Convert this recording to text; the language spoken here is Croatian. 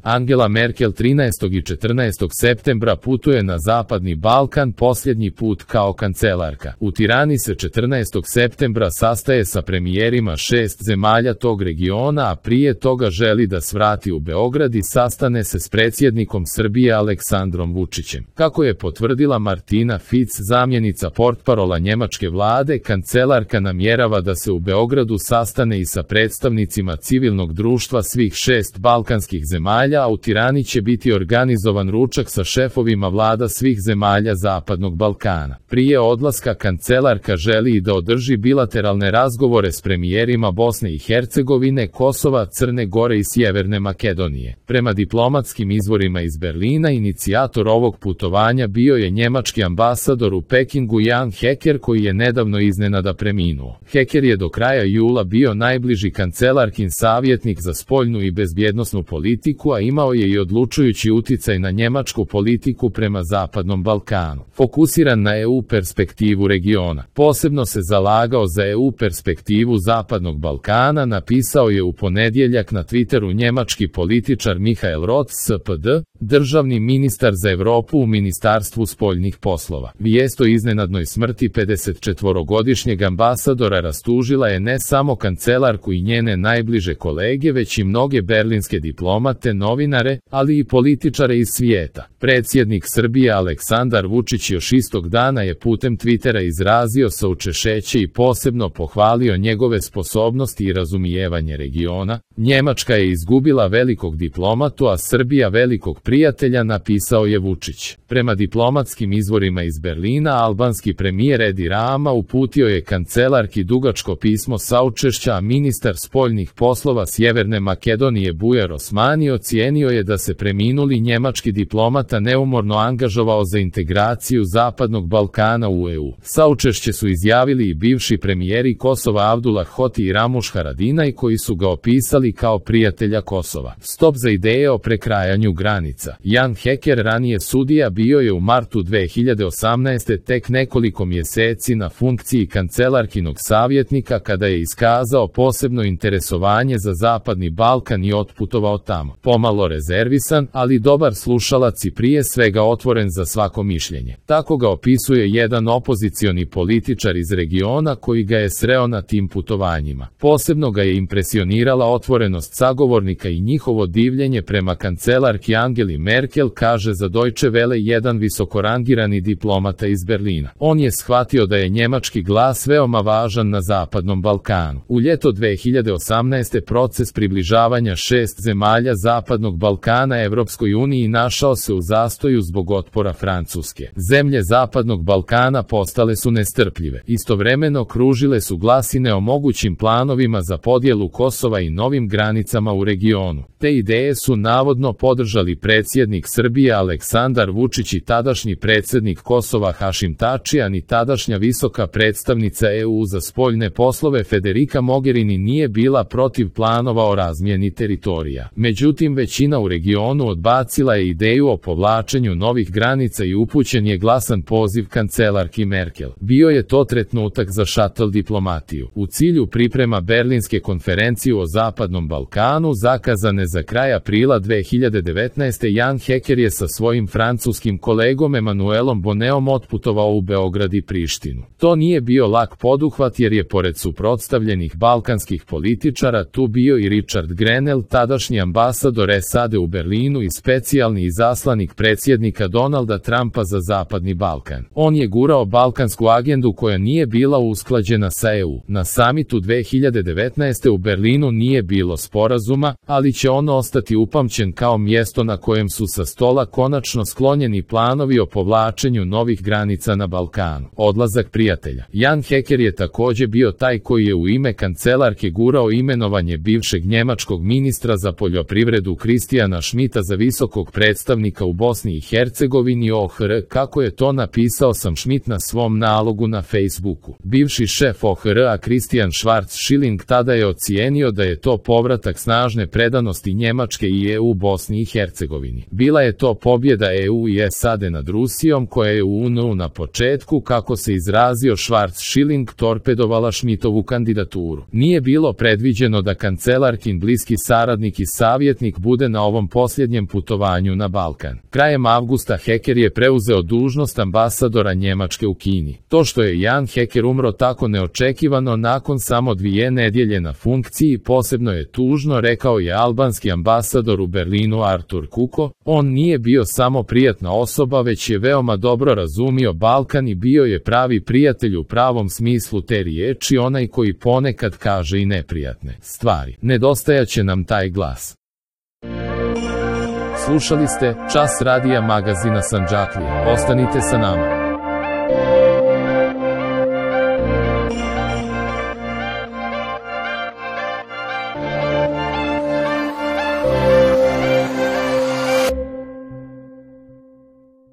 Angela Merkel 13. i 14. septembra putuje na Zapadni Balkan posljednji put kao kancelarka. U Tirani se 14. septembra sastaje sa premijerima 6 zemalja tog regiona, a prije toga želi da svrati u Beograd i sastane se s predsjednikom Srbije Aleksandrom Vučićem. Kako je potvrdila Martina Fic, zamjenica portparola njemačke vlade, kancelarka namjerava da se u Beogradu sastane i sa predstavnicima civilnog društva svih 6 balkanskih zemalja, a u Tirani će biti organizovan ručak sa šefovima vlada svih zemalja Zapadnog Balkana. Prije odlaska kancelarka želi i da održi bilateralne razgovore s premijerima Bosne i Hercegovine, Kosova, Crne Gore i Sjeverne Makedonije. Prema diplomatskim izvorima iz Berlina, inicijator ovog putovanja bio je njemački ambasador u Pekingu Jan Hecker, koji je nedavno iznenada preminuo. Hecker je do kraja jula bio najbliži kancelarkin savjetnik za spoljnu i bezbjednosnu politiku, a imao je i odlučujući uticaj na njemačku politiku prema Zapadnom Balkanu. Fokusiran na EU perspektivu regiona, posebno se zalagao za EU perspektivu Zapadnog Balkana, napisao je u ponedjeljak na Twitteru njemački političar Michael Roth, SPD, državni ministar za Europu u Ministarstvu spoljnih poslova. Vijest o iznenadnoj smrti 54-godišnjeg ambasadora rastužila je ne samo kancelarku i njene najbliže kolege, već i mnoge berlinske diplomate, novinare, ali i političare iz svijeta. Predsjednik Srbije Aleksandar Vučić još istog dana je putem Twittera izrazio saučešće i posebno pohvalio njegove sposobnosti i razumijevanje regiona. Njemačka je izgubila velikog diplomatu, a Srbija velikog prijatelja, napisao je Vučić. Prema diplomatskim izvorima iz Berlina, albanski premijer Edi Rama uputio je kancelarki dugačko pismo saučešća, a ministar spoljnih poslova Sjeverne Makedonije Bujar Osmani ocijenio je da se preminuli njemački diplomata neumorno angažovao za integraciju Zapadnog Balkana u EU. Saučešće su izjavili i bivši premijeri Kosova Abdullah Hoti i Ramuš Haradinaj, koji su ga opisali kao prijatelja Kosova. Stop za ideje o prekrajanju granica. Jan Hecker, ranije sudija, bio je u martu 2018. tek nekoliko mjeseci na funkciji kancelarkinog savjetnika kada je iskazao posebno interesovanje za Zapadni Balkan i otputovao tamo. Pomalo rezervisan, ali dobar slušalac i prije svega otvoren za svako mišljenje. Tako ga opisuje jedan opozicioni političar iz regiona koji ga je sreo na tim putovanjima. Posebno ga je impresionirala otvorenost sagovornika i njihovo divljenje prema kancelarki Angeli Merkel, kaže za Deutsche Welle jedan visokorangirani diplomata iz Berlina. On je shvatio da je njemački glas veoma važan na Zapadnom Balkanu. U ljeto 2018. proces približavanja 6 zemalja Zapadnog Balkana Evropskoj uniji našao se u zastoju zbog otpora Francuske. Zemlje Zapadnog Balkana postale su nestrpljive. Istovremeno kružile su glasine o mogućim planovima za podjelu Kosova i novim granicama u regionu. Te ideje su navodno podržali predsjednik Srbije Aleksandar Vučić i tadašnji predsjednik Kosova Hašim Tačijan i tadašnja visoka predstavnica EU za spoljne poslove Federica Mogherini nije bila protiv planova o razmjeni teritorija. Međutim, većina u regionu odbacila je ideju o povlačenju novih granica i upućen je glasan poziv kancelarki Merkel. Bio je to trenutak za šatl diplomatiju. U cilju priprema Berlinske konferencije o Zapadnom Balkanu, zakazane za kraj aprila 2019. Jan Hecker je sa svojim francuskim kolegom Emanuelom Boneom otputovao u Beograd i Prištinu. To nije bio lak poduhvat jer je pored suprotstavljenih balkanskih političara tu bio i Richard Grenell, tadašnji ambasador SAD u Berlinu i specijalni izaslanik predsjednika Donalda Trumpa za Zapadni Balkan. On je gurao balkansku agendu koja nije bila usklađena sa EU. Na samitu 2019. u Berlinu nije bilo sporazuma, ali će on ostati upamćen kao mjesto na kojem su sa stola konačno sklonjeni planovi o povlačenju novih granica na Balkanu. Odlazak prijatelja. Jan Hecker je također bio taj koji je u ime kancelarke gurao imenovanje bivšeg njemačkog ministra za poljoprivredu Kristijana Schmidta za visokog predstavnika u Bosni i Hercegovini OHR, kako je to napisao Sam Schmidt na svom nalogu na Facebooku. Bivši šef OHR-a Christian Schwarz-Schilling tada je ocijenio da je to povratak snažne predanosti Njemačke i EU Bosni i Hercegovini. Bila je to pobjeda EU i SAD nad Rusijom koja je u UN-u na početku, kako se izrazio Schwarz-Schilling, torpedovala Schmidtovu kandidaturu. Nije bilo predviđeno da kancelarkin bliski saradnik i savjetnik bude na ovom posljednjem putovanju na Balkan. Krajem avgusta Hecker je preuzeo dužnost ambasadora Njemačke u Kini. To što je Jan Hecker umro tako neočekivano nakon samo 2 nedjelje na funkciji posebno je tužno, rekao je albanski ambasador u Berlinu Artur Kuko. On nije bio samo prijatna osoba, već je veoma dobro razumio Balkan i bio je pravi prijatelj u pravom smislu te riječi, onaj koji ponekad kaže i neprijatne stvari. Nedostajaće nam taj glas. Slušali ste Čas radija magazina Sandžaklija. Ostanite sa nama.